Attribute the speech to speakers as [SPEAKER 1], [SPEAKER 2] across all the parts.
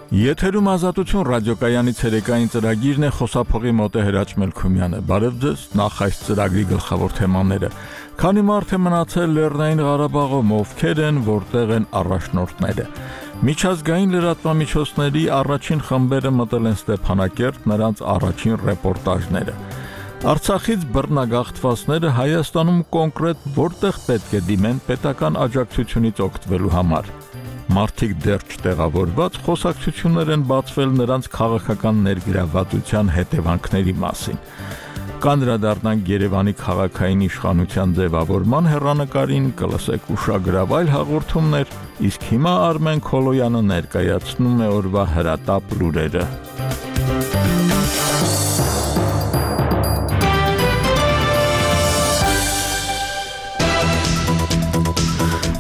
[SPEAKER 1] Եթերում ազատություն ռադիոկայանի ցերեկային ծրագիրն է, խոսափողի մոտ է Հրաչ Մելքումյանը։ Բարև ձեզ, նախ այս ծրագրի գլխավոր թեմաները։ Քանի մարդ է մնացել Լեռնային Ղարաբաղում, ովքեր են, որտեղ են առաջնորդները։ Միջազգային լրատվամիջոցների առաջին խմբերը մտել են Ստեփանակերտ, նրանց առաջին ռեպորտաժները։ Արցախից բռնագաղթվածները Հայաստանում կոնկրետ որտեղ պետք է դիմեն պետական աջակցությունից օգտվելու համար։ Մարդիկ դեռ չտեղավորված խոսակցություններ են բացվել նրանց քաղաքական ներգրավվածության հետևանքների մասին։ Կանդրադառնանք Երևանի քաղաքային իշխանության ձևավորման հեռանկարին, կլսեք ուշագրավ այլ հաղորդումներ, իսկ հիմա Արմեն Քոլոյանը ներկայացնում է օրվա հրատապ լուրերը։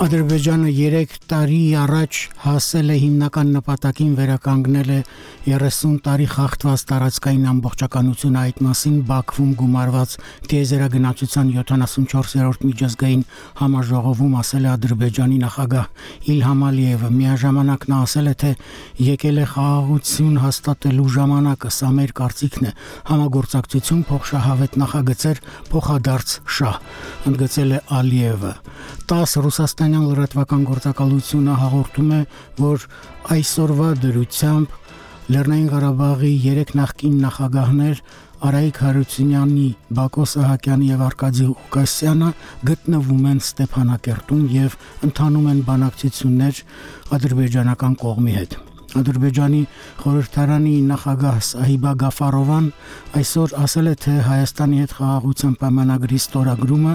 [SPEAKER 2] Ադրբեջանը 3 տարի առաջ հասել է հիմնական նպատակին վերականգնել է 30 տարի խախտված տարածքային ամբողջականությունը, այդ մասին Բաքվում գումարված տիեզերագնացության 74-րդ միջազգային համաժողովում ասել է Ադրբեջանի նախագահ Իլհամ Ալիևը։ Միաժամանակ նա ասել է, թե եկել է խաղաղություն հաստատելու ժամանակը, սա մեր կարծիքն է, համագործակցություն, փոխշահավետ նախագծեր, փոխադարձ շահ, ընդգծել է Ալիևը։ 10 ռուսաստանյան լրատվական գործակալությունը հաղորդում է, որ այսօրվա դրությամբ Լեռնային Ղարաբաղի 3 նախկին նախագահներ Արայիկ Հարությունյանի, Բակո Սահակյանի եւ Արկադի Ղուկասյանը գտնվում են Ստեփանակերտում եւ ընթանում են բանակցություններ ադրբեջանական կողմի հետ։ Ադրբեջանի խորհրդարանի նախագահ Սահիբա Գաֆարովան այսօր ասել է, թե Հայաստանի հետ խաղաղության պայմանագրի ստորագրումը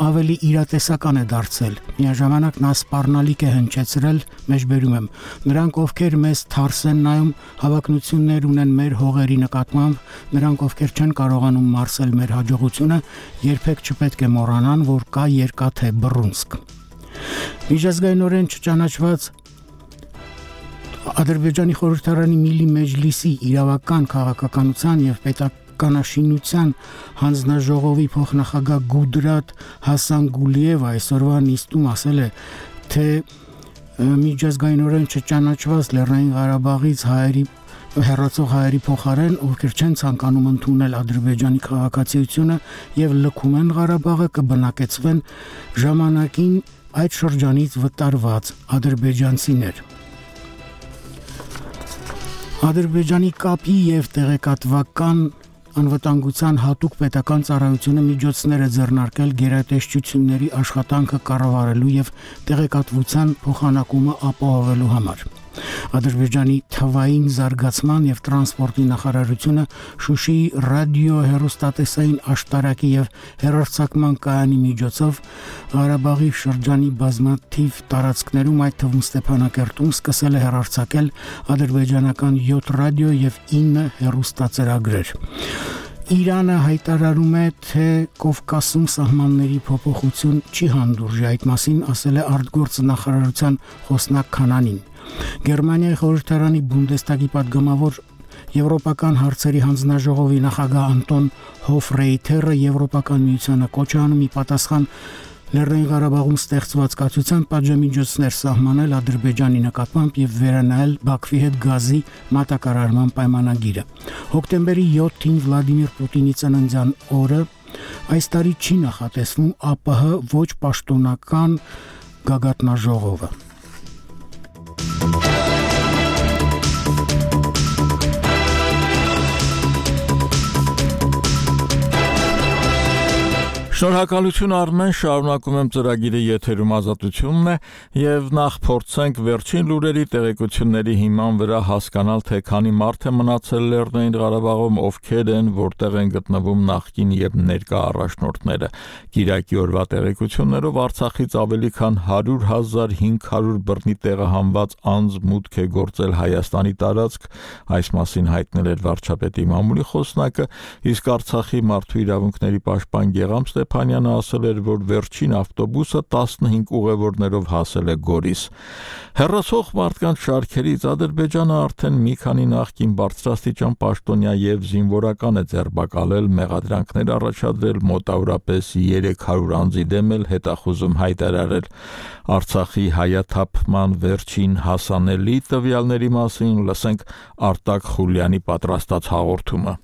[SPEAKER 2] ավելի իրատեսական է դարձել։ Միաժամանակ նա սպառնալիք է հնչեցրել, մեջբերում եմ, նրանք ովքեր մեզ թարս են նայում, հավակնություններ ունեն մեր հողերի նկատմամբ, նրանք ովքեր չեն կարողանում մարսել մեր հաջողությունը, երբեք չպետք է մոռանան, որ կա երկաթե Բռունցք։ Միջազգայինորեն չճանաչված Ադրբեջանի խորհրդարանի Միլի Մեջլիսի իրավական քաղաքականության եւ պետականաշինության հանձնաժողովի փոխնախագահ Գուդրատ Հասանգուլիևը այսօրվա նիստում ասել է, թե միջազգայինորեն չճանաչված Լեռնային Ղարաբաղից հեռացող հայերի փոխարեն, ովքեր չեն ցանկանում ընդունել Ադրբեջանի քաղաքացիությունը եւ լքում են Ղարաբաղը, կբնակեցվեն ժամանակին այդ շրջանից վտարված ադրբեջանցիներ։ Ադրբեջանի կապի եւ տեղեկատվական անվտանգության հատուկ պետական ծառայությունը միջոցներ է ձեռնարկել գերատեսչությունների աշխատանքը կառավարելու եւ տեղեկատվության փոխանակումը ապահովելու համար։ Ադրբեջանի թվային զարգացման եւ տրանսպորտի նախարարությունը Շուշիի ռադիո-հեռուստատեսային աշտարակի եւ հեռարձակման կայանի միջոցով Ղարաբաղի շրջանի բազմաթիվ տարածքներում, այդ թվում Ստեփանակերտում, սկսել է հեռարձակել ադրբեջանական 7 ռադիո եւ 9 հեռուստածրագրեր։ Իրանը հայտարարում է, թե Կովկասում սահմանների փոփոխություն չի հանդուրժի, այդ մասին ասել է արտգործ նախարարության խոսնակ Քանանին։ Գերմանիայի խորհրդարանի Բունդեստագի պատգամավոր Եվրոպական հարցերի հանձնաժողովի նախագահ Անտոն Հոֆրեյթերը Եվրոպական միությանը կոչ է անում ի պատասխան Լեռնային Ղարաբաղում ստեղծված կացության պատժամիջոցներ սահմանել Ադրբեջանի նկատմամբ եւ վերանայել Բաքվի հետ գազի մատակարարման պայմանագիրը։ Հոկտեմբերի 7-ին Վլադիմիր Պուտինի ծննդյան օրը այս տարի չի նախատեսվում ԱՊՀ ոչ պաշտոնական գագաթնաժողովը։
[SPEAKER 1] Շնորհակալություն Արմեն, շարունակում եմ ծրագիրը եթերում ազատությունն է եւ նախ փորձենք վերջին լուրերի տեղեկությունների հիման վրա հասկանալ, թե քանի մարդ է մնացել Լեռնային Ղարաբաղում, ովքեր են, որտեղ են գտնվում նախկին եւ ներկա առաջնորդները։ Կիրակի օրվա տեղեկություններով Արցախից ավելի քան 100,500 բռնի տեղահանված անձ մուտք է գործել Հայաստանի տարածք, այս մասին հայտնել էր վարչապետի մամուլի խոսնակը, իսկ Արցախի մարդու իրավունքների պաշտպան Գեգամ Ստեփանյանը ասել էր, որ վերջին ավտոբուսը 15 ուղևորներով հասել է Գորիս։ Հեռացող մարդկանց շարքերից Ադրբեջանը արդեն մի քանի նախկին բարձրաստիճան պաշտոնյա եւ զինվորական է ձերբակալել, մեղադրանքներ առաջադրել, մոտավորապես 300 անձի դեմ էլ հետախուզում հայտարարել։ Արցախի հայաթափման վերջին հասանելի տվյալների մասին լսենք Արտակ Խուլյանի պատրաստած հաղորդումը։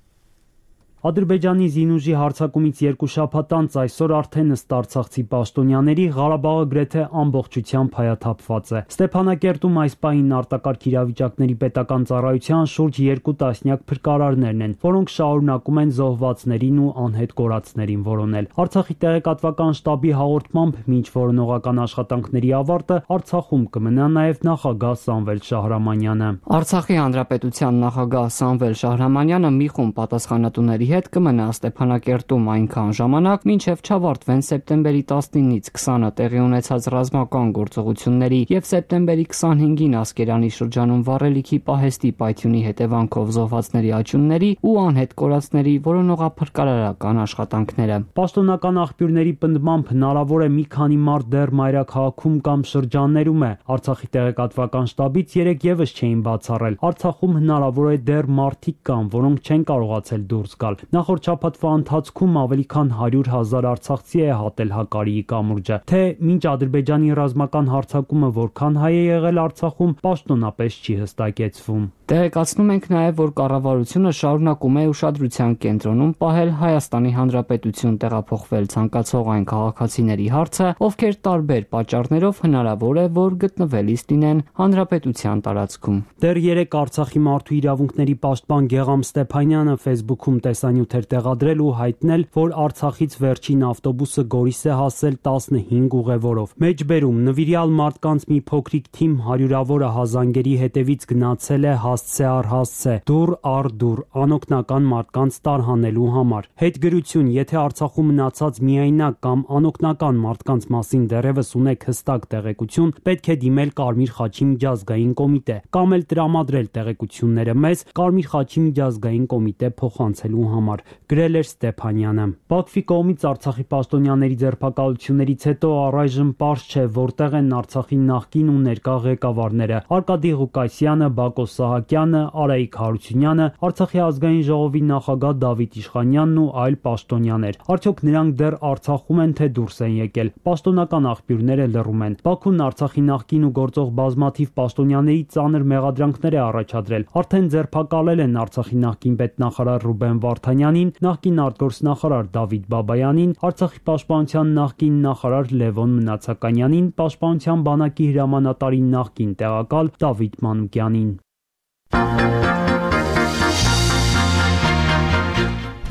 [SPEAKER 3] Ադրբեջանի զինուժի հարձակումից 2 շաբաթ անց այսօր արդեն ըստ արցախցի պաշտոնյաների Ղարաբաղը գրեթե ամբողջությամբ հայաթափված է։ Ստեփանակերտում այս պահին արտակարգ իրավիճակների պետական ծառայության շուրջ 2 տասնյակ փրկարարներն են, որոնք շարունակում են զոհվածներին ու անհետ կորածներին որոնել։ Արցախի տեղեկատվական շտաբի հաղորդմամբ մինչ որոնողական աշխատանքների ավարտը Արցախում կմնա նաև նախագահ Սամվել Շահրամանյանը։
[SPEAKER 4] Արցախի հանրապետության նախագահ Սամվել Շահրամանյանը մի խումբ պատասխանատուների հետ կմնա Ստեփանակերտում այնքան ժամանակ, մինչև չավարտվեն սեպտեմբերի 19-ից 20-ը տեղի ունեցած ռազմական գործողությունների եւ սեպտեմբերի 25-ին Ասկերանի շրջանում վառելիքի պահեստի պայթյունի հետևանքով զոհվածների աճյունների ու անհետ կորածների որոնողափրկարարական աշխատանքները։
[SPEAKER 3] Պաշտոնական աղբյուրների պնդմամբ հնարավոր է մի քանի մարդ դեռ մայրաքաղաքում կամ շրջաններում է։ Արցախի տեղեկատվական շտաբից երեք եւս չէին բացառել։ Արցախում հնարավոր է դեռ մարդիկ կան, որոնք չեն կարողացել դուրս գալ։ Նախորդ շաբաթվա ընթացքում ավելի քան 100,000 արցախցի է հատել Հակարիի կամուրջը։ Թե մինչ Ադրբեջանի ռազմական հարձակումը որքան հայ է եղել Արցախում, պաշտոնապես չի հստակեցվում։
[SPEAKER 4] Տեղեկացնում ենք նաև, որ կառավարությունը շարունակում է ուշադրության կենտրոնում պահել Հայաստանի Հանրապետություն տեղափոխվել ցանկացող այն քաղաքացիների հարցը, ովքեր տարբեր պատճառներով հնարավոր է, որ գտնվելիս լինեն Հանրապետության տարածքում։
[SPEAKER 3] Դեռ 3 Արցախի մարդու իրավունքների պաշտպան Գեգամ Ստեփանյանը Facebook-ում տեսանյութ էր տեղադրել ու հայտնել, որ Արցախից վերջին ավտոբուսը Գորիս է հասել 15 ուղևորով։ Մեջբերում նվիրյալ մարդկանց մի փոքրիկ թիմ հարյուրավորը հազանգերի հետևից գնացել է հասցե առ հասցե, դուռ առ դուռ, անօգնական մարդկանց տարհանելու համար։ Հետգրություն, եթե Արցախում մնացած միայնակ կամ անօգնական մարդկանց մասին դեռևս ունեք հստակ տեղեկություն, պետք է դիմել Կարմիր խաչի միջազգային կոմիտե կամ էլ տրամադրել տեղեկությունները մեզ Կարմիր խաչի միջազգային կոմիտե փոխանցելու համար, գրել էր Ստեփանյանը։ Բաքվի կողմից Արցախի պաշտոնյաների ձերբակալություններից հետո առայժմ պարզ չէ, որտեղ են Արցախի նախկին ու ներկա ղեկավարները՝ Արկադի Ղուկասյանը, Բակո Սահակյանը, Արայիկ Հարությունյանը, Արցախի ազգային ժողովի նախագահ Դավիթ Իշխանյանն ու այլ պաշտոնյաներ։ Արդյոք նրանք դեռ Արցախում են, թե դուրս են եկել։ Պաշտոնական աղբյուրները լռում են։ Բաքուն Արցախի նախկին ու գործող բազմաթիվ պաշտոնյաների ծանր մեղադրանքներ է առաջադրել։ Արդեն ձերբակալել են Արցախի նախկին պետնախարար Ռուբեն Վարդանյանին, նախկին արտգործնախարար Դավիթ Բաբայանին, Արցախի պաշտպանության նախկին նախարար Լևոն Մնացականյանին, պաշտպանության բանակի հրամանատարի նախկին տեղակալ Դավիթ Մանուկյանին։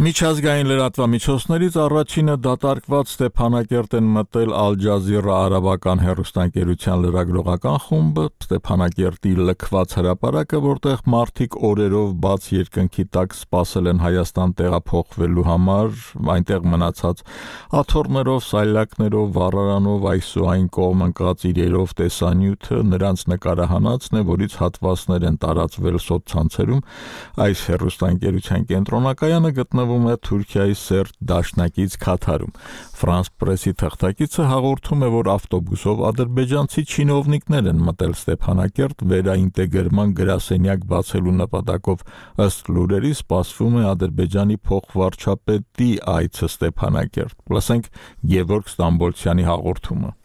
[SPEAKER 1] Միջազգային լրատվամիջոցներից առաջինը դատարկված Ստեփանակերտ են մտել Ալ Ջազիրա արաբական հեռուստաընկերության լրագրողական խումբը, Ստեփանակերտի լքված հրապարակը, որտեղ մարդիկ օրերով բաց երկնքի տակ սպասել են Հայաստան տեղափոխվելու համար, այնտեղ մնացած աթոռներով, սայլակներով, վառարանով, այս ու այն կողմ ընկած իրերով տեսանյութը նրանց նկարահանածն է, որից հատվածներ են տարածվել սոցցանցերում։ Այս հեռուստաընկերության կենտրոնակայանը գտնվում է Թուրքիայի Սերտ դաշնակից Քաթարում։ Ֆրանս պրեսի թղթակիցը հաղորդում է, որ ավտոբուսով ադրբեջանցի չինովնիկներ են մտել Ստեփանակերտ վերաինտեգրման գրասենյակ բացելու նպատակով։ Ըստ լուրերի սպասվում է Ադրբեջանի փոխվարչապետի այցը Ստեփանակերտ։ Լսենք Գևորգ Ստամբոլցյանի հաղորդումը։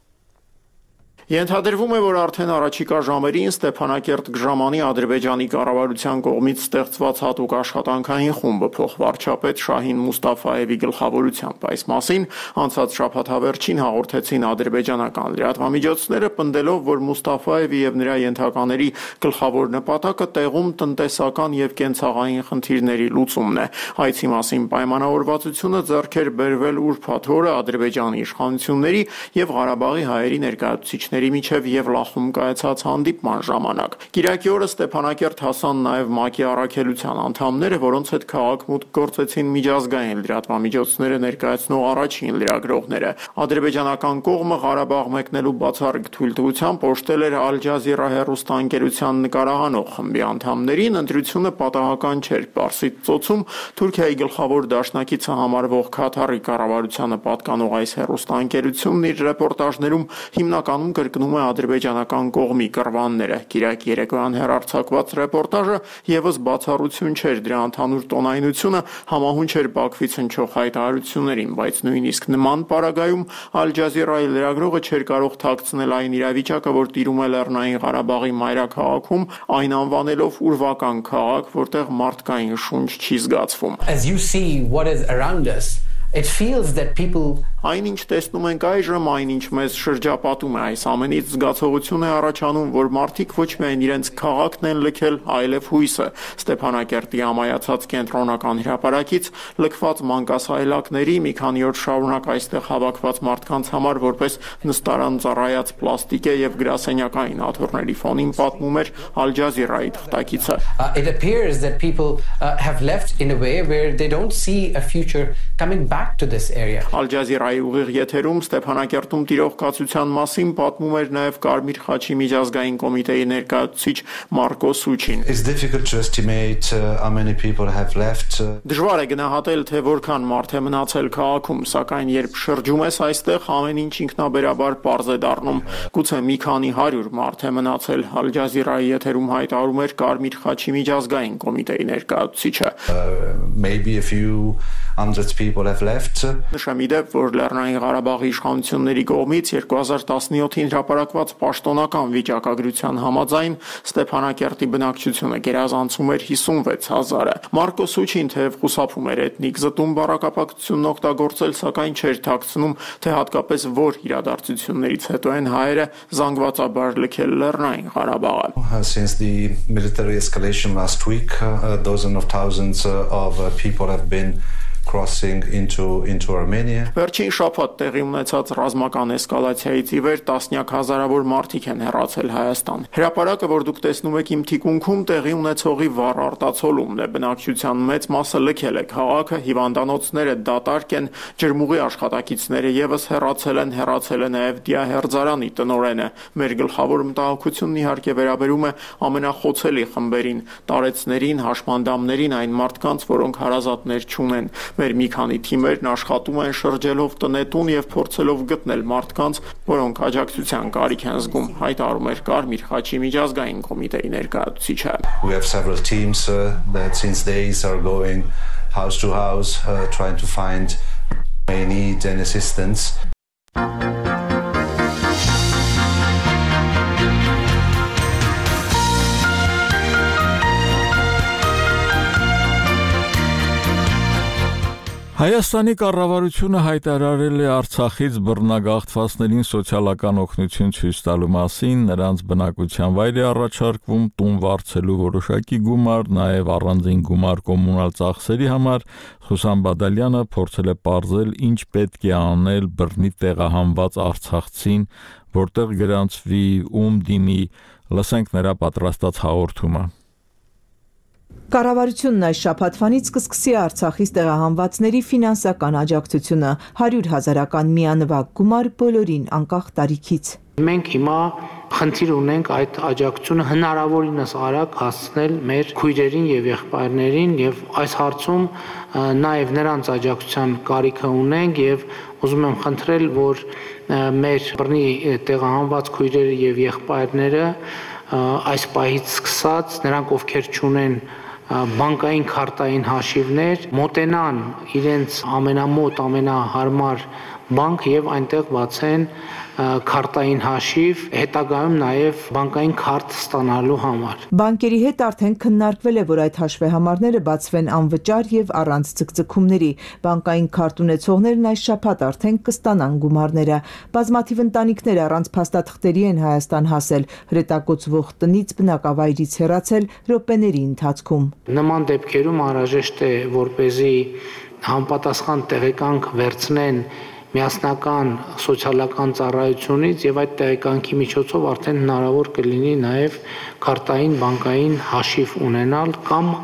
[SPEAKER 5] Ենթադրվում է, որ արդեն առաջիկա ժամերին Ստեփանակերտ կժամանի Ադրբեջանի կառավարության կողմից ստեղծված հատուկ աշխատանքային խումբը փոխվարչապետ Շահին Մուստաֆայևի գլխավորությամբ։ Այս մասին անցած շաբաթավերջին հաղորդեցին ադրբեջանական լրատվամիջոցները, պնդելով, որ Մուստաֆայևի եւ նրա ենթակաների գլխավոր նպատակը տեղում տնտեսական եւ կենցաղային խնդիրների լուծումն է։ Այցի մասին պայմանավորվածությունը ձեռք էր բերվել ուրբաթ օրը Ադրբեջանի իշխանությունների եւ Ղարաբաղի հայերի ներկայացուցիչների քաղաքների միջև եւ Լախում կայացած հանդիպման ժամանակ։ Կիրակի օրը Ստեփանակերտ հասան նաեւ ՄԱԿ-ի առաքելության անդամները, որոնց հետ քաղաք մուտք գործեցին միջազգային լրատվամիջոցները ներկայացնող առաջին լրագրողները։ Ադրբեջանական կողմը Ղարաբաղ մեկնելու բացառիկ թույլտվությամբ օժտել էր Ալ Ջազիրա հեռուստաընկերության նկարահանող խմբի անդամներին, ընտրությունը պատահական չէր։ Պարսից ծոցում Թուրքիայի գլխավոր դաշնակիցը համարվող Քաթարի կառավարությանը պատկանող այս հեռուստաընկերությունն իր ռեպորտաժներում հիմնականում կրկնում է ադրբեջանական կողմի կռվանները։ Կիրակի երեկոյան հեռարձակված ռեպորտաժը եւս բացառություն չէր, դրա ընդհանուր տոնայնությունը համահունչ էր Բաքվից հնչող հայտարարություններին, բայց նույնիսկ նման պարագայում Ալ Ջազիրայի լրագրողը չէր կարող թաքցնել այն իրավիճակը, որ տիրում է Լեռնային Ղարաբաղի մայրաքաղաքում, այն անվանելով ուրվական քաղաք, որտեղ մարդկային շունչ չի զգացվում։
[SPEAKER 6] As you see what is around us, it feels that people
[SPEAKER 5] Այնինչ տեսնում ենք այժմ, այնինչ մեզ շրջապատում է, այս ամենից զգացողություն է առաջանում, որ մարդիկ ոչ միայն իրենց քաղաքն են լքել, այլև հույսը։ Ստեփանակերտի ամայացած կենտրոնական հրապարակից լքված մանկասայլակների մի քանի օր շարունակ այստեղ հավաքված մարդկանց համար որպես նստարան ծառայած պլաստիկ է եւ գրասենյակային աթոռների ֆոնին պատմում էր Ալ Ջազիրայի թղթակիցը։
[SPEAKER 6] It appears that people have left in a way where they don't see a future coming back to this area.
[SPEAKER 5] Ալ Ջազիրայի ուղիղ եթերում Ստեփանակերտում տիրող կացության մասին պատմում էր նաև Կարմիր խաչի միջազգային կոմիտեի ներկայացուցիչ Մարկո Սուչին։
[SPEAKER 7] It's difficult to estimate how many people have left.
[SPEAKER 5] Դժվար է գնահատել, թե որքան մարդ է մնացել քաղաքում, սակայն երբ շրջում ես այստեղ, ամեն ինչ ինքնաբերաբար պարզ է դառնում։ Գուցե մի քանի 100 մարդ է մնացել, Ալ Ջազիրայի եթերում հայտարարում էր Կարմիր խաչի միջազգային կոմիտեի ներկայացուցիչը։
[SPEAKER 7] Maybe a few hundred people have left.
[SPEAKER 5] Նշեմ իդեպ, որ Լեռնային Ղարաբաղի իշխանությունների կողմից 2017-ին հրապարակված պաշտոնական վիճակագրության համաձայն Ստեփանակերտի բնակչությունը գերազանցում էր 56,000-ը։ Մարկո Սուչին թեև խուսափում էր էթնիկ զտում բառակապակցությունն օգտագործել, սակայն չէր թաքցնում, թե հատկապես որ իրադարձություններից հետո են հայերը զանգվածաբար լքել Լեռնային Ղարաբաղը։
[SPEAKER 7] Since the military escalation last week, dozens of thousands of people have been crossing into Armenia.
[SPEAKER 5] Վերջին շաբաթ տեղի ունեցած ռազմական էսկալացիայից ի վեր տասնյակ հազարավոր մարդիկ են հեռացել Հայաստան։ Հրապարակը, որ դուք տեսնում եք իմ թիկունքում, տեղի ունեցողի վառ արտացոլումն է։ Բնակչության մեծ մասը լքել է քաղաքը, հիվանդանոցները դատարկ են, ջրմուղի աշխատակիցները եւս հեռացել է նաեւ դիահերձարանի տնօրենը։ Մեր գլխավոր մտահոգությունն իհարկե վերաբերում է ամենախոցելի խմբերին, տարեցներին, հաշմանդամներին, այն մարդկանց, որոնք հարազատներ չունեն։ Մեր մի քանի թիմերն աշխատում են շրջելով տնետուն եւ փորձելով գտնել մարդկանց, որոնք աջակցության կարիք են զգում, հայտարարում էր Կարմիր խաչի միջազգային կոմիտեի ներկայացուցիչը։
[SPEAKER 7] We have several teams that since days are going house to house trying to find may need and assistance.
[SPEAKER 1] Հայաստանի կառավարությունը հայտարարել է Արցախից բռնագաղթվածներին սոցիալական օգնություն ցույց տալու մասին, նրանց բնակության վայր է առաջարկվում տուն վարձելու որոշակի գումար, նաև առանձին գումար կոմունալ ծախսերի համար։ Խուսան Բադալյանը փորձել է պարզել, ինչ պետք է անել բռնի տեղահանված արցախցին, որտեղ գրանցվի, ում դիմի, լսենք նրա պատրաստած հաղորդումը։
[SPEAKER 8] Կառավարությունն այս շաբաթվանից կսկսի Արցախից տեղահանվածների ֆինանսական աջակցությունը 100,000-ական միանվագ գումար բոլորին անկախ տարիքից։
[SPEAKER 9] Մենք հիմա խնդիր ունենք այդ աջակցությունը հնարավորինս արագ հասցնել մեր քույրերին եւ եղբայրներին եւ այս հարցում նաեւ նրանց աջակցության կարիքը ունենք եւ ուզում եմ խնդրել, որ մեր բռնի տեղահանված քույրերը եւ եղբայրները այս պահից սկսած նրանք ովքեր չունեն բանկային քարտային հաշիվներ մոտենան իրենց ամենամոտ ամենահարմար բանկ եւ այնտեղ բացեն քարտային հաշիվ, հետագայում նաև բանկային քարտ ստանալու համար։
[SPEAKER 8] Բանկերի հետ արդեն քննարկվել է, որ այդ հաշվեհամարները բացվեն անվճար եւ առանց ցկցկումների։ Բանկային քարտ ունեցողներն այս շաբաթ արդեն կստանան գումարները։ Բազմաթիվ ընտանիքներ առանց փաստաթղթերի են Հայաստան հասել, հրետակոծվող տնից բնակավայրից հեռացել րոպեների ընթացքում։
[SPEAKER 9] Նման դեպքերում անհրաժեշտ է, որպեսզի համապատասխան տեղեկանք վերցնեն միասնական սոցիալական ծառայությունից եւ այդ տեղեկանքի միջոցով արդեն հնարավոր կլինի նաեւ քարտային բանկային հաշիվ ունենալ կամ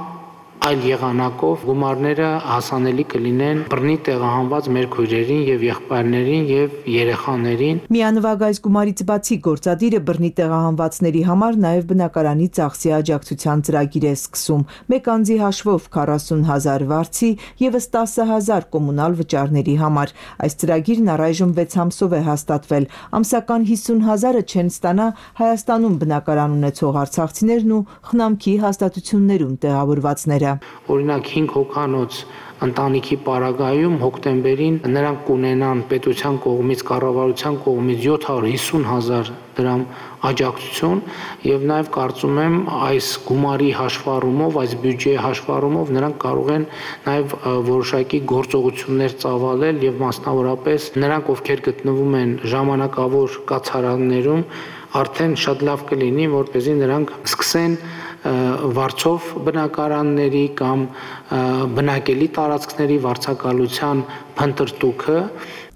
[SPEAKER 9] այլ եղանակով գումարները հասանելի կլինեն բռնի տեղահանված մեր քույրերին եւ եղբայրներին եւ երեխաներին։
[SPEAKER 8] Միանվագ այս գումարից բացի գործադիրը բռնի տեղահանվածների համար նաեւ բնակարանի ծախսի աջակցության ծրագիր է սկսում։ Մեկ անձի հաշվով 40,000 վարձի եւս 10,000 կոմունալ վճարների համար։ Այս ծրագիրն առայժմ 6 ամսով է հաստատվել։ Ամսական 50,000-ը չեն ստանա Հայաստանում բնակարան ունեցող արցախցիներն ու խնամքի հաստատություններում տեղավորվածները։
[SPEAKER 9] Օրինակ 5 հոգանոց ընտանիքի պարագայում հոկտեմբերին նրանք կունենան պետության կողմից կառավարության կողմից 750,000 դրամ աջակցություն եւ նաեւ կարծում եմ այս գումարի հաշվառումով, այս բյուջեի հաշվառումով նրանք կարող են նաեւ որոշակի գործողություններ ծավալել եւ մասնավորապես նրանք ովքեր գտնվում են ժամանակավոր կացարաններում արդեն շատ լավ կլինի որպեսզի նրանք սկսեն վարձով բնակարանների կամ բնակելի տարածքների վարձակալության փնտրտուքը։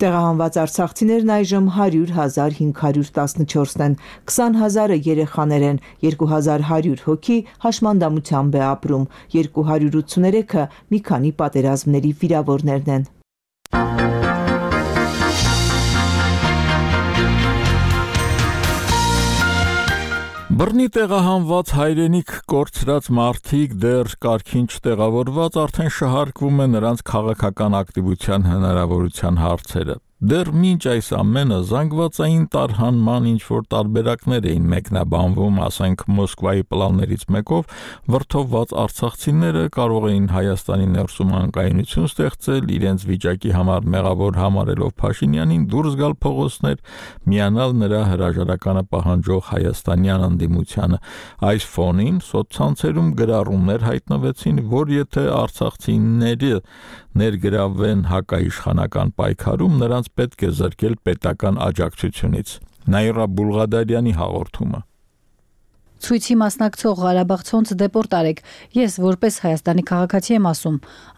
[SPEAKER 8] Տեղահանված արցախցիներն այժմ 100,514-ն են, 20,000-ը երեխաներ են, 2,100 հոգի հաշմանդամությամբ է ապրում, 283-ը մի քանի պատերազմների վիրավորներն են։
[SPEAKER 1] Բռնի տեղահանված հայրենիք կորցրած մարդիկ դեռ կարգին չտեղավորված արդեն շահարկվում է նրանց քաղաքական ակտիվության հնարավորության հարցերը։ Դեռ մինչ այս ամենը զանգվածային տարհանման ինչ-որ տարբերակներ էին մեկնաբանվում, ասենք Մոսկվայի պլաններից մեկով, վրդովված արցախցիները կարող էին Հայաստանի ներսում անկայունություն ստեղծել, իրենց վիճակի համար մեղավոր համարելով Փաշինյանին դուրս գալ փողոցներ, միանալ նրա հրաժարականը պահանջող հայաստանյան ընդդիմությանը։ Այս ֆոնին սոցցանցերում գրառումներ հայտնվեցին, որ եթե արցախցիները ներգրավվեն հակաիշխանական պայքարում, նրանց պետք է զրկել պետական աջակցությունից։ Նաիրա Բուլղադարյանի հաղորդումը։
[SPEAKER 10] Ցույցի մասնակցող Ղարաբաղցոնց դեպորտ արեք։ Ես որպես Հայաստանի քաղաքացի եմ ասում,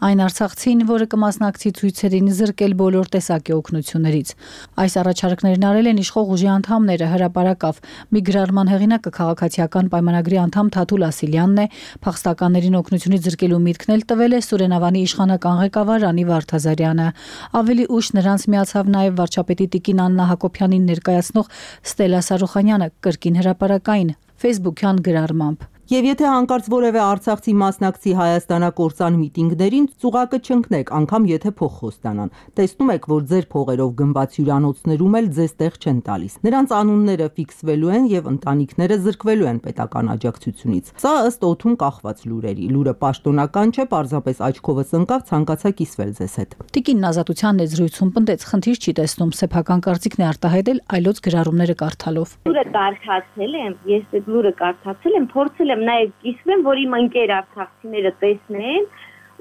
[SPEAKER 10] այն արցախցին, որը կմասնակցի ցույցերին, զրկել բոլոր տեսակի օգնություններից։ Այս առաջարկներն արել են իշխող ուժի անդամները հրապարակավ։ Մի գրառման հեղինակը քաղաքացիական պայմանագրի անդամ Թաթուլ Ասիլյանն է, փախստականներին օգնությունից զրկելու միտքն էլ տվել է Սուրենավանի իշխանական ղեկավար Անի Վարդազարյանը։ Ավելի ուշ նրանց միացավ նաև վարչապետի Տիկին Աննա Հակոբյանին ներկայացնող Ստելա Սարուխանյանը կրկին հրապարակային Facebook-յան գրառմամբ։
[SPEAKER 11] Եվ եթե հանկարծ որևէ արցախցի մասնակցի հայաստանակործան միտինգներին, ծուղակը չընկնեք, անգամ եթե փող խոստանան։ Տեսնում եք, որ ձեր փողերով գնված հյուրանոցներում էլ ձեզ տեղ չեն տալիս։ Նրանց անունները ֆիքսվելու են եւ ընտանիքները զրկվելու են պետական աջակցությունից։ Սա ըստ օդում կախված լուրերի։ Լուրը պաշտոնական չէ, պարզապես աչքովս ընկավ, ցանկացա կիսվել ձեզ հետ։
[SPEAKER 10] Տիկին Նազատության ներզրույցում պնդեց, խնդիր չի տեսնում, սեփական կարծիքն է արտահայտել այլոց գրառումները կարդալով։
[SPEAKER 12] Լուրը կարդացել եմ, ես այդ լուրը կարդացել եմ, փորձել եմ նաև կիսվեմ, որ իմ ընկեր արցախցիները տեսնեն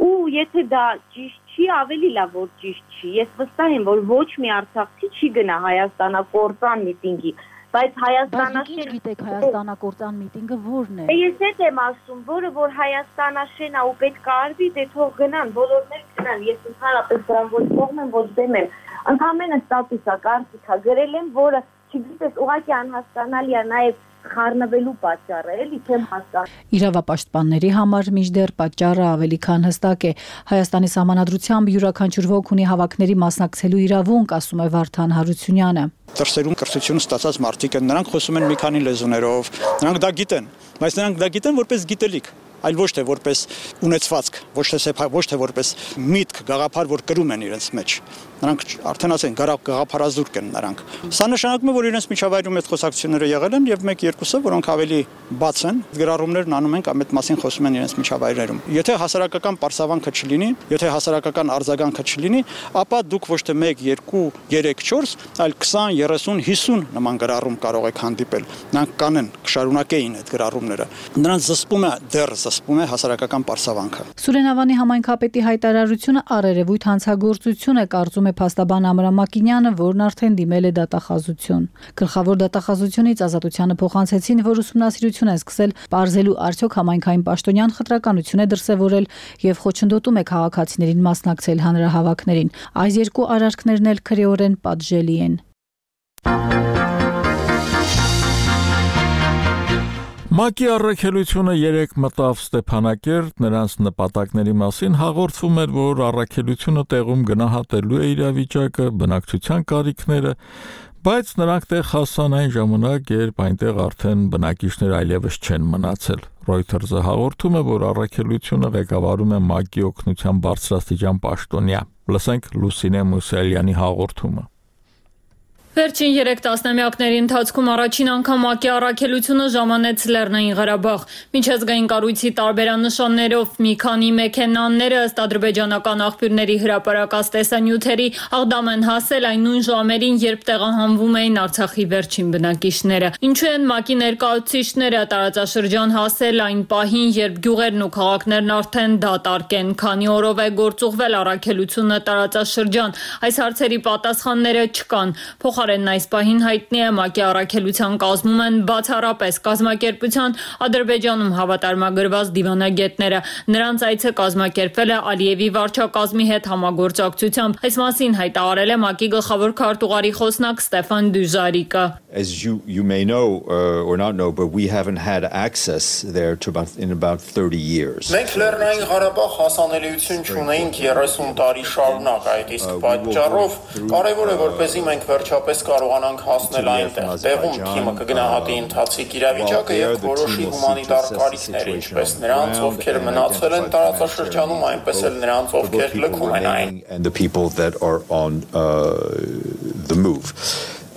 [SPEAKER 12] ու եթե դա ճիշտ չի, ավելի լավ որ ճիշտ չի։ Ես վստահ եմ, որ ոչ մի արցախցի չի գնա հայաստանակործան միտինգի, բայց հայաստանաշեն
[SPEAKER 10] գիտեք հայաստանակործան միտինգը որն է։
[SPEAKER 12] Ես հետ եմ ասում, որ հայաստանաշեն է ու պետք է արվի, դե թող գնան, բոլորներ գնան։ Ես ընդհանրապես դրան ոչ կողմ եմ, ոչ դեմ եմ։ Ընդհանրապես ստատուս է, կարծիք է գրել եմ, որը չգիտես, ուղղակի անհասկանալի է նաև խառնվելու պատճառը, էլի չեմ հասկանում։
[SPEAKER 10] Իրավապաշտպանների համար մինչդեռ պատճառը ավելի քան հստակ է։ Հայաստանի Սահմանադրությամբ յուրաքանչյուր ոք ունի հավաքների մասնակցելու իրավունք, ասում է Վարդան Հարությունյանը։
[SPEAKER 13] Դրսերում կրթություն ստացած մարդիկ են, նրանք խոսում են մի քանի լեզուներով, նրանք դա գիտեն, բայց նրանք դա գիտեն որպես գիտելիք, այլ ոչ թե որպես ունեցվածք, ոչ թե որպես միտք, գաղափար, որ կրում են իրենց մեջ։ Նրանք արդեն ասեն գաղափարազուրկ են նրանք։ Սա նշանակում է, որ իրենց միջավայրում այդ խոսակցությունները եղել են եւ 1-2-ը, որոնք ավելի բաց են, գրառումներն անում են կամ այդ մասին խոսում են իրենց միջավայրերում։ Եթե հասարակական պարսավանքը չլինի, եթե հասարակական արձագանքը չլինի, ապա դուք ոչ թե 1, 2, 3, 4, այլ 20, 30, 50 նման գրառում կարող եք հանդիպել։ Նրանք կանեն, կշարունակեին այդ գրառումները։ Նրանց զսպում է դեռ ծածկվում է հասարակական պարսավանքը։
[SPEAKER 10] Սուրենավանի համայնքապետի հայտարարությունը առերևույթ հանցագործություն է, կարծում է փաստաբան Ամրամ Մակինյանը, որն արդեն դիմել է դատախազություն։ Գլխավոր դատախազությունից Ազատությանը փոխանցեցին, որ ուսումնասիրություն են սկսել պարզելու արդյոք համայնքային պաշտոնյան խտրականություն է դրսևորել եւ խոչընդոտում է քաղաքացիներին մասնակցել հանրահավաքներին։ Այս երկու արարքներն էլ քրեորեն պատժելի են։
[SPEAKER 1] ՄԱԿ-ի առաքելությունը 3 մտավ Ստեփանակերտ, նրանց նպատակների մասին հաղորդվում էր, որ առաքելությունը տեղում գնահատելու է իրավիճակը, բնակչության կարիքները, բայց նրանք տեղ հասան այն ժամանակ, երբ այնտեղ արդեն բնակիչներ այլևս չեն մնացել։ Reuters-ը հաղորդում է, որ առաքելությունը ղեկավարում է ՄԱԿ-ի օգնության բարձրաստիճան պաշտոնյա։ Լսենք Լուսինե Մուսելյանի հաղորդումը։
[SPEAKER 14] Վերջին 3 տասնամյակների ընթացքում առաջին անգամ ՄԱԿ-ի առաքելությունը ժամանեց Լեռնային Ղարաբաղ։ Միջազգային կառույցի տարբերանշաններով մի քանի մեքենաները ըստ ադրբեջանական աղբյուրների հրապարակած տեսանյութերի Աղդամ են հասել այն նույն ժամերին, երբ տեղահանվում էին Արցախի վերջին բնակիչները։ Ինչու են ՄԱԿ-ի ներկայացուցիչները տարածաշրջան հասել այն պահին, երբ գյուղերն ու քաղաքներն արդեն դատարկ են, քանի օրով է գործուղվել առաքելությունը տարածաշրջան։ Այս հարցերի պատասխանները չկան։ Փոխարենն այս պահին հայտնի է ՄԱԿ-ի առաքելության կազմում են բացառապես կազմակերպության Ադրբեջանում հավատարմագրված դիվանագետները։ Նրանց այցը կազմակերպվել է Ալիևի վարչակազմի հետ համագործակցությամբ։ Այս մասին հայտարարել է ՄԱԿ-ի գլխավոր քարտուղարի խոսնակ Ստեփան Դյուժարիկը։
[SPEAKER 15] As you may know or not know, but we haven't had access there in about 30 years.
[SPEAKER 5] Մենք Լեռնային Ղարաբաղ հասանելիություն չունեինք 30 տարի շարունակ, այդ իսկ պատճառով կարևոր է որպեսզի մենք վերջապես կարողանանք հասնել այնտեղ։ Տեղում թիմը կգնահատի ընթացիկ իրավիճակը եւ որոշի հումանիտար կարիքներ, ինչպես նրանց, ովքեր մնացել են տարածաշրջանում, այնպես էլ նրանց, ովքեր լքում են այն։
[SPEAKER 15] And the people that are on the move.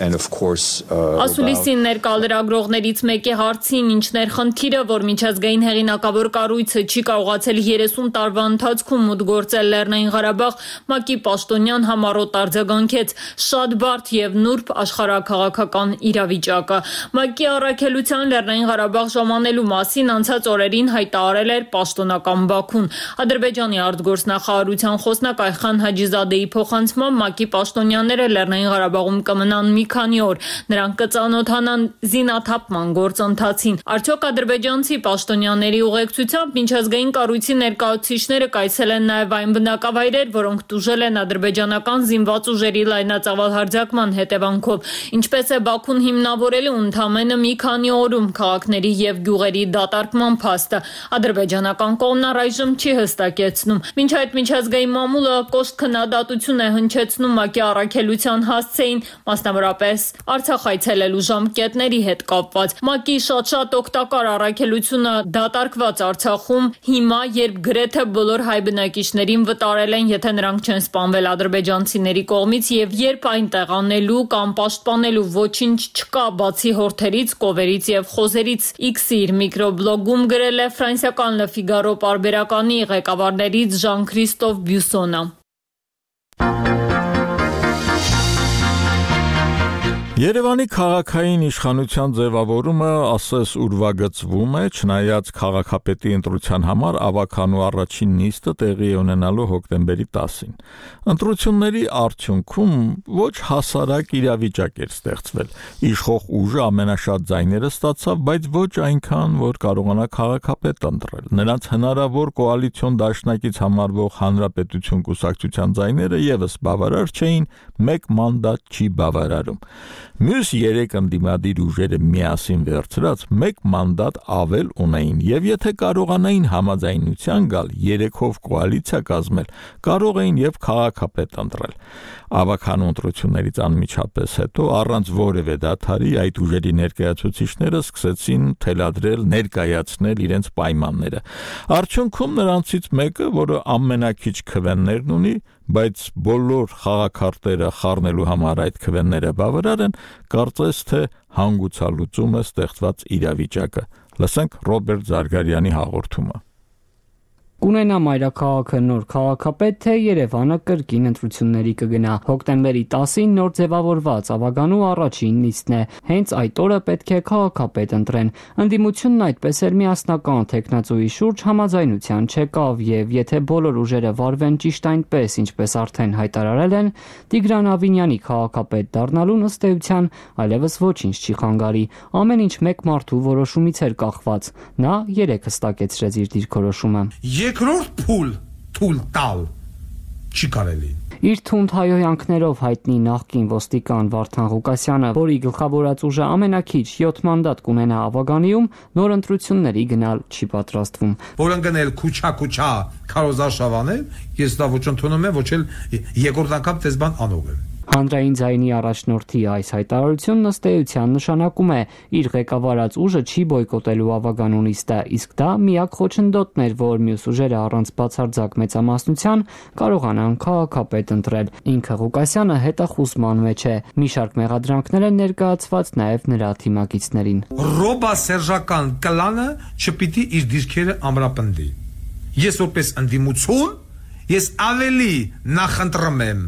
[SPEAKER 15] And of course
[SPEAKER 14] Ասուլիսին ներկալրագրողներից մեկի հարցին ինչներ խնդիրը, որ միջազգային հեղինակավոր կառույցը չի կարողացել 30 տարվա ընթացքում մուտքգործել Լեռնային Ղարաբաղ, ՄԱԿ-ի պաշտոնյան համառոտ արձագանքեց շատ բարդ եւ նուրբ աշխարհաքաղաքական իրավիճակը։ ՄԱԿ-ի առաքելության Լեռնային Ղարաբաղ ժամանելու մասին անցած օրերին հայտարարել էր պաշտոնական Բաքուն։ Ադրբեջանի արտգործնախարարության խոսնակ Այխան Հաջիզադեի փոխանցմամբ ՄԱԿ-ի պաշտոնյաները Լեռնային Ղարաբաղում կմնան մի քանի օր, նրանք կծանոթանան զինաթափման գործընթացին։ Արդյոք ադրբեջանցի պաշտոնյաների ուղեկցությամբ միջազգային կառույցի ներկայացուցիչները կայցել են նաև այն բնակավայրեր, որոնք տուժել են ադրբեջանական զինված ուժերի լայնածավալ հարձակման հետևանքով։ Ինչպես է Բաքուն հիմնավորել ընդամենը մի քանի օրում քաղաքների եւ գյուղերի դատարկման փաստը։ Ադրբեջանական կողմն առայժմ չի հստակեցնում։ Մինչ այդ միջազգային մամուլը կոշտ քննադատություն է հնչեցնում ՄԱԿ-ի առաքելության հասցեին, մասնավորապես Արցախ այցելելու ժամկետների հետ կապված։ ՄԱԿ-ի շատ օգտակար առաքելությունը դատարկված Արցախում հիմա, երբ գրեթե բոլոր հայ բնակիչներին վտարել են, եթե նրանք չեն սպանվել ադրբեջանցիների կողմից, եւ երբ այն տեղանելու կամ պաշտպանելու ոչինչ չկա բացի հորթերից, կովերից եւ խոզերից։ X-ի իր միկրոբլոգում գրել է ֆրանսիական Le Figaro պարբերականի ղեկավարներից Ժան-Քրիստոֆ Բյուսոնը։
[SPEAKER 1] Երևանի քաղաքային իշխանության ձևավորումը ասես ուրվագծվում է, չնայած քաղաքապետի ընտրության համար ավականու առաջին նիստը տեղի է ունենալու հոկտեմբերի 10-ին։ Ընտրությունների արդյունքում ոչ հասարակ իրավիճակ էր ստեղծվել։ Իշխող ուժը ամենաշատ ձայները ստացավ, բայց ոչ այնքան, որ կարողանա քաղաքապետ ընտրել։ Նրանց հնարավոր կոալիցիոն դաշնակից համարվող Հանրապետություն կուսակցության ձայները եւս բավարար չէին, մեկ մանդատ չի բավարարում։ Մյուս 3 ընդդիմադիր ուժերը միասին վերցրած մեկ մանդատ ավել ունեին եւ եթե կարողանային համաձայնության գալ 3-ով կոալիցիա կազմել, կարող էին եւ քաղաքապետ ընտրել։ Ավականու ընտրություններից անմիջապես հետո առանց որևէ դադարի այդ ուժերի ներկայացուցիչները սկսեցին թելադրել, ներկայացնել իրենց պայմանները։ Արդյունքում նրանցից մեկը, որը ամենակիչ քվեններն ունի, բայց բոլոր խաղաքարտերը խառնելու համար այդ քվենները բավարար են, կարծես թե հանգուցալուծում է ստեղծված իրավիճակը։ Լսենք Ռոբերտ Զարգարյանի հաղորդումը։
[SPEAKER 4] Կունենա մայրաքաղաքը նոր քաղաքապետ, թե Երևանը կրկին ընտրությունների կգնա։ Հոկտեմբերի 10-ին նոր ձևավորված ավագանու առաջին նիստն է։ Հենց այդ օրը պետք է քաղաքապետ ընտրեն։ Ընդդիմությունն այդպես էլ միասնական թեկնածուի շուրջ համաձայնության չեկավ, եւ եթե բոլոր ուժերը վարվեն ճիշտ այնպես, ինչպես արդեն հայտարարել են, Տիգրան Ավինյանի քաղաքապետ դառնալուն ըստ էության այլևս ոչինչ չի խանգարի։ Ամեն ինչ մեկ մարդու որոշումից էր կախված։ Նա երեք հստակեցրեց իր դիրքորոշումը։
[SPEAKER 16] Երկրորդ թույլ տալ չի կարելի։
[SPEAKER 4] Իր թունդ հայհոյանքներով հայտնի նախկին ոստիկան Վարդան Ղուկասյանը, որի գլխավորած ուժը ամենակիչ 7 մանդատ կունենա ավագանիում, նոր ընտրությունների գնալ չի պատրաստվում։
[SPEAKER 16] Որ ընկնել քուչա քարոզարշավանել, ես դա ոչ ընդունում եմ, ոչ էլ երկրորդ անգամ դες բան անող եմ։
[SPEAKER 4] Հանրային ձայնի առաջնորդի այս հայտարարությունն ըստ էության նշանակում է իր ղեկավարած ուժը չի բոյկոտելու ավագանու նիստը, իսկ դա միակ խոչընդոտն էր, որ մյուս ուժերը առանց բացարձակ մեծամասնության կարողանան քաղաքապետ ընտրել։ Ինքը Ղուկասյանը հետախուզման մեջ է։ Մի շարք մեղադրանքներ են ներկայացված նաև նրա թիմակիցներին։
[SPEAKER 16] Ռոբասերժական կլանը չպիտի իր դիրքերը ամրապնդի։ Ես որպես ընդդիմություն, ես ավելի նախընտրում եմ,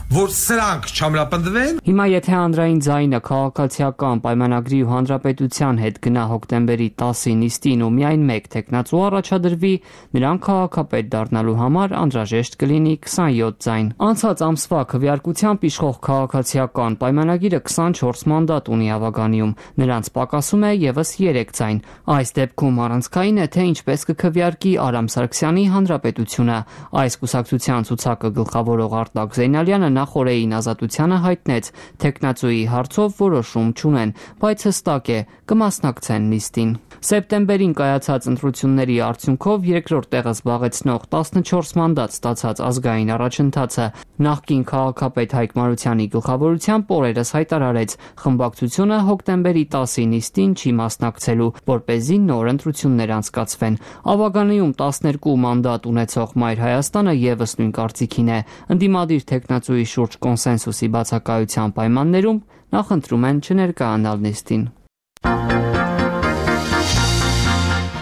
[SPEAKER 16] որ սրանք չամրապնդվեն։
[SPEAKER 4] Հիմա եթե հանրային ձայնը քաղաքացիական պայմանագրի ու հանրապետության հետ գնա հոկտեմբերի 10-ի նիստին ու միայն մեկ թեկնածու առաջադրվի, նրան քաղաքապետ դառնալու համար անհրաժեշտ կլինի 27 ձայն։ Անցած ամսվա քվեարկությամբ իշխող քաղաքացիական պայմանագիրը 24 մանդատ ունի ավագանիում, նրանց պակասում է եւս 3 ձայն։ Այս դեպքում առանցքային է, թե ինչպես կքվեարկի Արամ Սարգսյանի հանրապետությունը։ Այս կուսակցության ցուցակը գլխավորող Արտակ Զեյնալյանը նախորդին Ազատությանը հայտնեց, թեկնածուի հարցով որոշում չունեն, բայց հստակ է, կմասնակցեն նիստին։ Սեպտեմբերին կայացած ընտրությունների արդյունքով երկրորդ տեղը զբաղեցնող 14 մանդատ ստացած ազգային առաջընթացը նախկին քաղաքապետ Հայկ Մարությանի գլխավորությամբ օրերս հայտարարեց, խմբակցությունը հոկտեմբերի 10-ի նիստին չի մասնակցելու, որպեսզի նոր ընտրություններ անցկացվեն։ Ավագանիում 12 մանդատ ունեցող Մայր Հայաստանը եւս նույն կարծիքին է։ Ընդդիմադիր թեկնածուի շուրջ կոնսենսուսի բացակայության պայմաններում նախընտրում են չներկայանալ նիստին։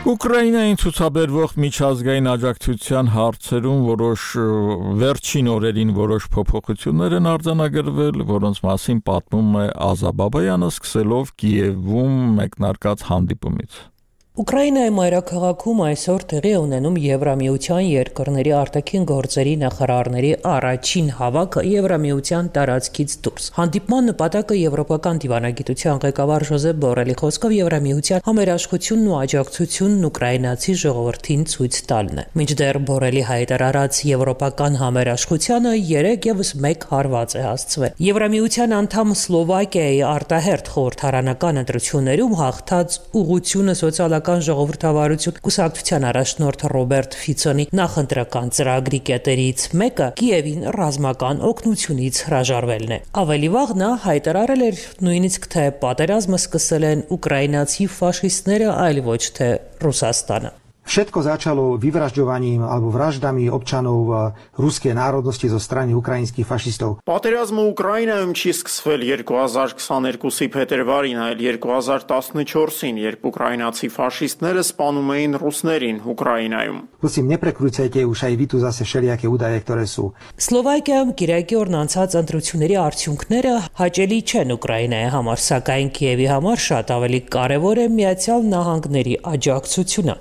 [SPEAKER 1] Ուկրաինային ցուցաբերվող միջազգային աջակցության հարցերում վերջին օրերին որոշ փոփոխություններ են արձանագրվել, որոնց մասին պատմում է Ազա Բաբայանը, սկսելով Կիևում մեկնարկած հանդիպումից։
[SPEAKER 17] Ուկրաինայի մայրաքաղաքում այսօր տեղի ունենում Եվրամիության երկրների արտաքին գործերի նախարարների առաջին հավաքը Եվրամիության տարածքից դուրս։ Հանդիպման նպատակը եվրոպական դիվանագիտության ղեկավար Ժոզեփ Բորելի խոսքով Եվրամիության համերաշխությունն ու աջակցությունն ուկրաինացի ժողովրդին ցույց տալն է։ Մինչդեռ Բորելի հայտարարած եվրոպական համերաշխությանը երեք եւս մեկ հարված է հասցվել։ Եվրամիության անդամ Սլովակիայի արտահերթ խորհրդարանական ընտրություններում հաղթած ուղղությունը սոցիալական ժողովրդավարություն կուսակցության առաջնորդ Ռոբերտ Ֆիցոնի նախընտրական ծրագրի կետերից մեկը Կիևին ռազմական օգնությունից հրաժարվելն է։ Ավելի վաղ նա հայտարարել էր նույնիսկ թե պատերազմը սկսել են ուկրաինացի ֆաշիստները, այլ ոչ թե Ռուսաստանը։
[SPEAKER 18] Všetko začalo vyvražďovaním alebo vraždami občanov ruskej národnosti zo strany ukrajinských fašistov.
[SPEAKER 5] Պատերազմը Ուկրաինայում չի սկսվել 2022-ի փետրվարին, այլ 2014-ին, երբ ուկրաինացի ֆաշիստները սպանում էին ռուսներին Ուկրաինայում։
[SPEAKER 18] Prosím, neprekrucujte už aj vy tu zase všelijaké údaje, ktoré sú.
[SPEAKER 17] Սլովակիայում Կիրակի օրն անցած ընտրությունների արդյունքները հաճելի չեն Ուկրաինայի համար, սակայն Կիևի համար շատ ավելի կարևոր է Միացյալ Նահանգների աջակցությունը։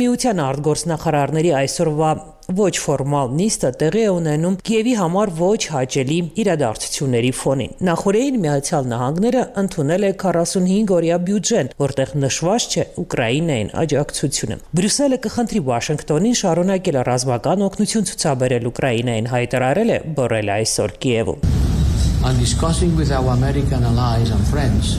[SPEAKER 17] Միության արտգործնախարարների այսօրվա ոչ ֆորմալ նիստը տեղի է ունենում Կիևի համար ոչ հաճելի իրադարձությունների ֆոնին։ Նախորդին Միացյալ Նահանգները ընդունել է 45-օրյա բյուջեն, որտեղ նշված չէ Ուկրաինային աջակցությունը։ Բրյուսելը կխնդրի Վաշինգտոնին շարունակել ռազմական օգնություն ցուցաբերել Ուկրաինային, հայտարարել է Բորելը այսօր Կիևում։
[SPEAKER 19] And discussing with our American allies and friends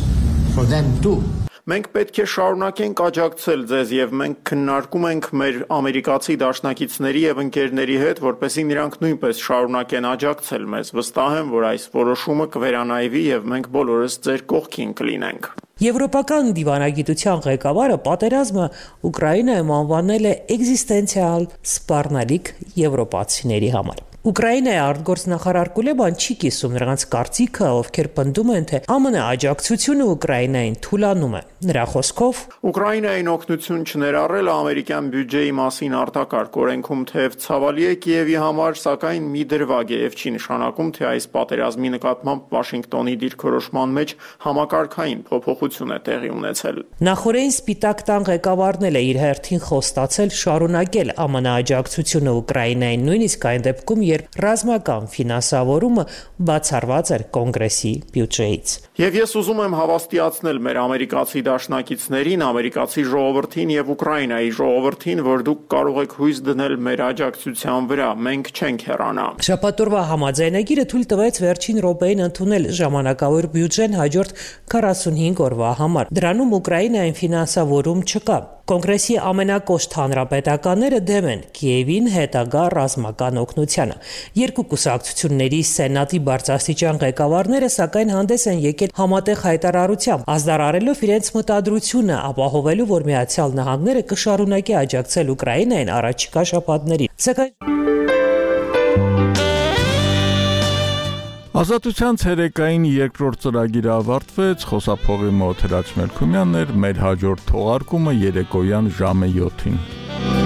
[SPEAKER 19] for them too.
[SPEAKER 5] Մենք պետք է շարունակենք աջակցել ձեզ եւ մենք քննարկում ենք մեր ամերիկացի դաշնակիցների եւ ընկերների հետ, որպեսզի նրանք նույնպես շարունակեն աջակցել մեզ։ Վստահ եմ, որ այս որոշումը կվերանայվի եւ մենք բոլորս ձեր կողքին կլինենք։
[SPEAKER 17] Եվրոպական դիվանագիտության ղեկավարը պատերազմը Ուկրաինայում անվանել է էկզիստենցիալ սպառնալիք եվրոպացիների համար։ Ուկրաինայի արտգործնախարար Կուլեբան չի կիսում նրանց կարծիքը, ովքեր պնդում են, թե ԱՄՆ աջակցությունը Ուկրաինային թուլանում է։ Նրա խոսքով
[SPEAKER 5] Ուկրաինային օգնություն չներառելը ամերիկյան բյուջեի մասին արտակարգ օրենքում թեև ցավալի է Կիևի համար, սակայն մի դրվագ է եւ չի նշանակում, թե այս պատերազմի նկատմամբ Վաշինգտոնի դիրքորոշման մեջ համակարգային փոփոխություն է տեղի ունեցել։
[SPEAKER 17] Նախորդին Սպիտակ տան ղեկավարն էլ է իր հերթին խոստացել շարունակել ԱՄՆ աջակցությունը Ուկրաինային, նույնիսկ այն դեպքում, երբ ռազմական ֆինանսավորումը բացառված էր կոնգրեսի բյուջեից։
[SPEAKER 5] Եվ ես ուզում եմ հավաստիացնել մեր ամերիկացի դաշնակիցներին, ամերիկացի ժողովրդին եւ Ուկրաինայի ժողովրդին, որ դուք կարող եք հույս դնել մեր աջակցության վրա, մենք չենք հեռանա։
[SPEAKER 17] Շաբաթօրվա համաձայնագիրը թույլ տվեց վերջին րոպեին ընդունել ժամանակավոր բյուջեն հաջորդ 45 օրվա համար։ Դրանում Ուկրաինային ֆինանսավորում չկա։ Կոնգրեսի ամենակոշտ հանրապետականները դեմ են Կիևին հետագա ռազմական օգնությանը։ Երկու կուսակցությունների սենատի բարձրաստիճան ղեկավարները սակայն հանդես են եկել համատեղ հայտարարությամբ, ազդարարելով իրենց մտադրությունը ապահովելու, որ Միացյալ Նահանգները կշարունակի աջակցել Ուկրաինային առաջիկա շաբաթներին։ Սակայն
[SPEAKER 1] Ազատության ցերեկային երկրորդ ծրագիրը ավարտվեց, խոսափողի մոտ Հրաչ Մելքումյանն էր, մեր հաջորդ թողարկումը երեկոյան ժամը 7-ին։